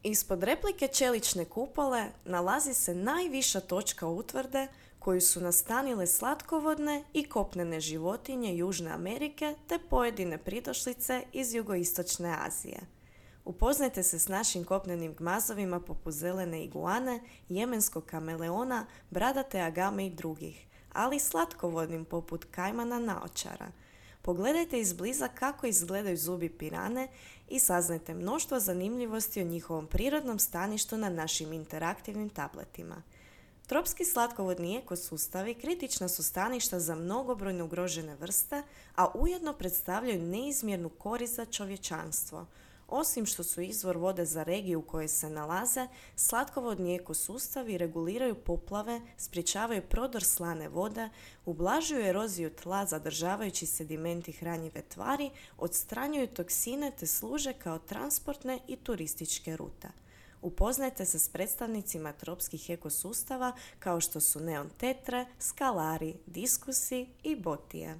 Ispod replike čelične kupole nalazi se najviša točka utvrde koju su nastanile slatkovodne i kopnene životinje Južne Amerike te pojedine pridošlice iz jugoistočne Azije. Upoznajte se s našim kopnenim gmazovima poput zelene iguane, jemenskog kameleona, bradate agame i drugih, ali i slatkovodnim poput kajmana naočara. Pogledajte izbliza kako izgledaju zubi pirane i saznajte mnoštvo zanimljivosti o njihovom prirodnom staništu na našim interaktivnim tabletima. Tropski slatkovodni ekosustavi kritična su staništa za mnogobrojne ugrožene vrste, a ujedno predstavljaju neizmjernu korist za čovječanstvo. Osim što su izvor vode za regiju u kojoj se nalaze, slatkovodni ekosustavi reguliraju poplave, sprječavaju prodor slane vode, ublažuju eroziju tla zadržavajući sedimenti hranjive tvari, odstranjuju toksine te služe kao transportne i turističke rute. Upoznajte se s predstavnicima tropskih ekosustava kao što su neon tetre, skalari, diskusi i botije.